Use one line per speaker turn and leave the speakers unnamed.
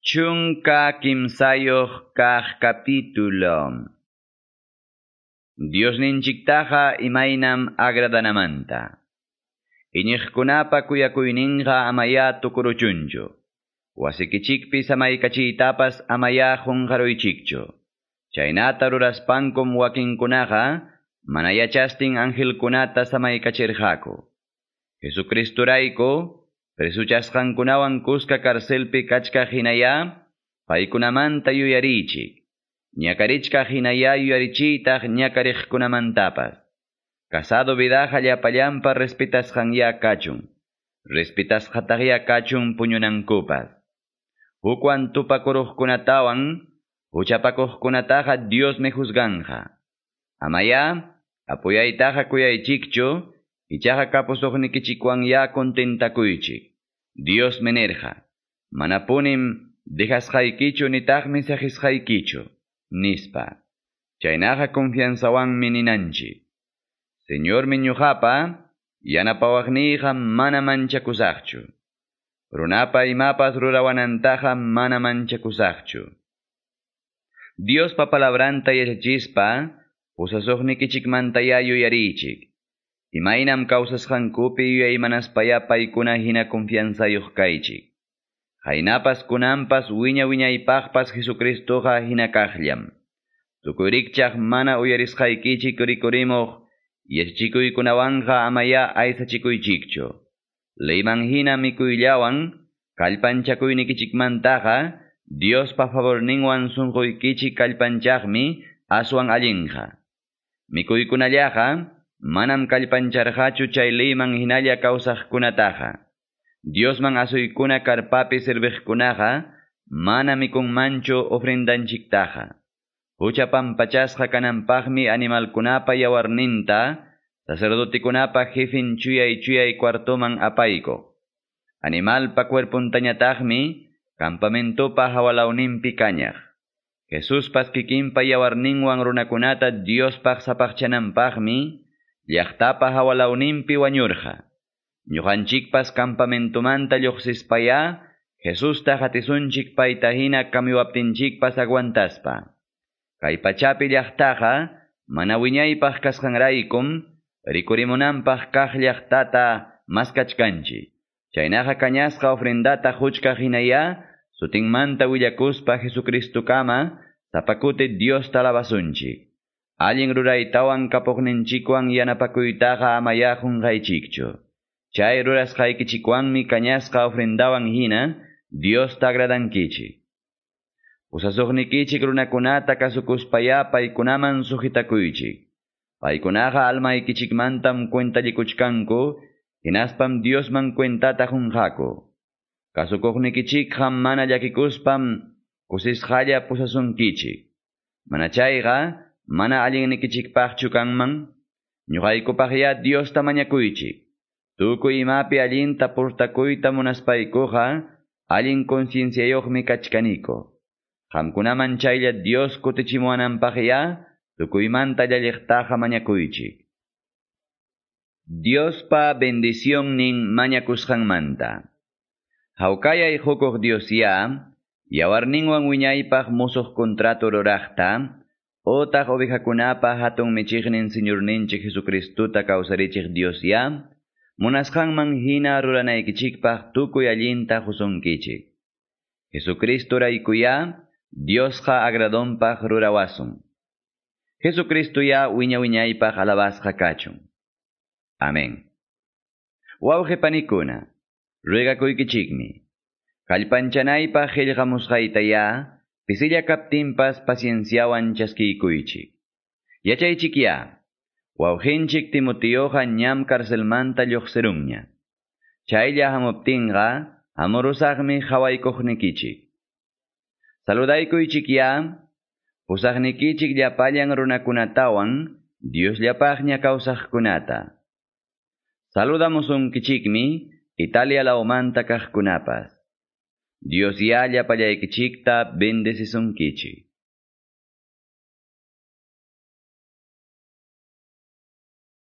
13 kaq capítulo. Diosninchiktaqa imaynam agradanamanta. Iñiqkunapa kuyakuyninqa amaya tukuruchunchu. Wasikichikpi samaykachiytapas amaya qunqaruychikchu. Chaynata ruraspankum wakinkunaqa mana yachastin angelkunata samaykachirqaku. Jesucristurayku presuchasqankunawan kuska carcelpi kachkaq hinaya, paykunamanta yuyarichik. Ñakarichkaq hinaya yuyarichiytaq ñakariqkunamantapas. Casado vidaqa llapallanpa respetasqanya kachun. Respetasqataqya kachun puñunankupas. Hukwan tupakuruqkunatawan, huchapakuqkunataqa Diosmi juzganja. Amaya, apuyaytaqa kuyaychikchu, ichaqa kapusuqnikichikwan ya contentakuychik. Diosmi nirqa, manapunim dejasqaykichu nitaqmi saqisqaykichu, nispa. Chaynaqa confianzawanmi ninanchik. Señormi ñuqapa, yanapawaqniyqa mana manchakusaqchu. Runapa imapas rurawanantaqa mana manchakusaqchu. Diospa palabranta yachachispa, pusasuqnikichikmantaya yuyarichik. Imaynam kawsasqankupi yuyaymanaspaya paykuna hina confianzayuq kaychik. Haynapas kunanpas wiña wiñaypaqpas Jesucristoqa hina kaqllam. Tukuy mana uyarisqaykichik rikurimuq yachachikuykunawanqa amaya aysachikuychikchu. Leyman hina mikuyllawan kallpanchakuynikichikmantaqa Diospa favorninwan sunquykichik kallpanchaqmi aswan allinqa. Mikuykunallaqa manam kallpancharqachu chay leyman hinalla kawsaqkunataqa. Diosman asuykuna karpapi serviqkunaqa mana mikunmanchu ofrendanchiktaqa. Hucha pampachasqa kananpaqmi animalkunapa yawarninta sacerdotekunapa jefin chuyay chuyay cuartoman apaykuq. Animalpa cuerpuntañataqmi campamentopa hawalawninpi kañaq. Jesuspas kikinpa yawarninwan runakunata Diospaq sapaqchananpaqmi llaqtapa hawalawninpi wañurqa. Ñuqanchikpas campamentomanta lluqsispaya Jesusta hatisunchik payta hina kamiwaptinchikpas aguantaspa. Kay pachapi llaqtaqa mana wiñaypaq kasqanraykum rikurimunanpaq kaq llaqtata maskachkanchik. Chaynaqa kañasqa ofrendata huchkaq hinaya sutinmanta willakuspa Jesucristukama sapakuti Diosta alabasunchik. Allin ruraytawan kapuqninchikwan yanapakuytaqa amaya qunqaychikchu. Chay rurasqaykichikwanmi kañasqa ofrendawan hina Diosta agradankichik. Pusasuqnikichik runakunata kasukuspaya paykunaman sujitakuychik. Paykunaqa almaykichikmantam cuentallikuchkanku, hinaspam Diosman cuentata qunqaku. Kasukuqnikichikqa mana llakikuspam kusisqalla pusasunkichik. Mana chayqa mana allinnikichikpaqchu kanman, ñuqaykupaqya Diosta mañakuychik. Tukuy imapi allinta purtakuyta munaspaykuqa, allin concienciayuqmi kachkaniko. Qamkunaman chaylla Dios kutichimuwananpaqya, tukuymanta llalliqtaqa mañakuychik. Diospa bendicionnin mañakusqanmanta. Hawkayay hukuq Diosya, yawarninwan wiñaypaq musuq contrato ruraqta, otaq ovejakunapa hatun michiqnin Señorninchik Jesucristuta kawsarichiq Diosya, munasqanman hina ruranaykichikpaq tukuy allinta husunkichik. Jesucristuraykuya, Diosqa agradonpaq rurawasun. Jesucristo ya wiña wiñaypaq alabasqa kachun. Amén. Wawqi panikuna, ruegakuykichikmi. Kallpanchanaypaq qillqamusqaytaya, pisilla kaptinpas pacienciawan chaskiykuychik. Yachaychikya, wawqinchik Timoteoqa ñam carcelmanta lluqsirunña. Chaylla hamuptinqa, hamurusaqmi hawaykuqnikichik. Saludaykuychikya, pusaqnikichik llapallan runakunatawan, Diosllapaqña kawsaqkunata. Saludamusunkichikmi Italia lawmanta kaqkunapas. Dios ya llapallaykichikta bendecisunkichik.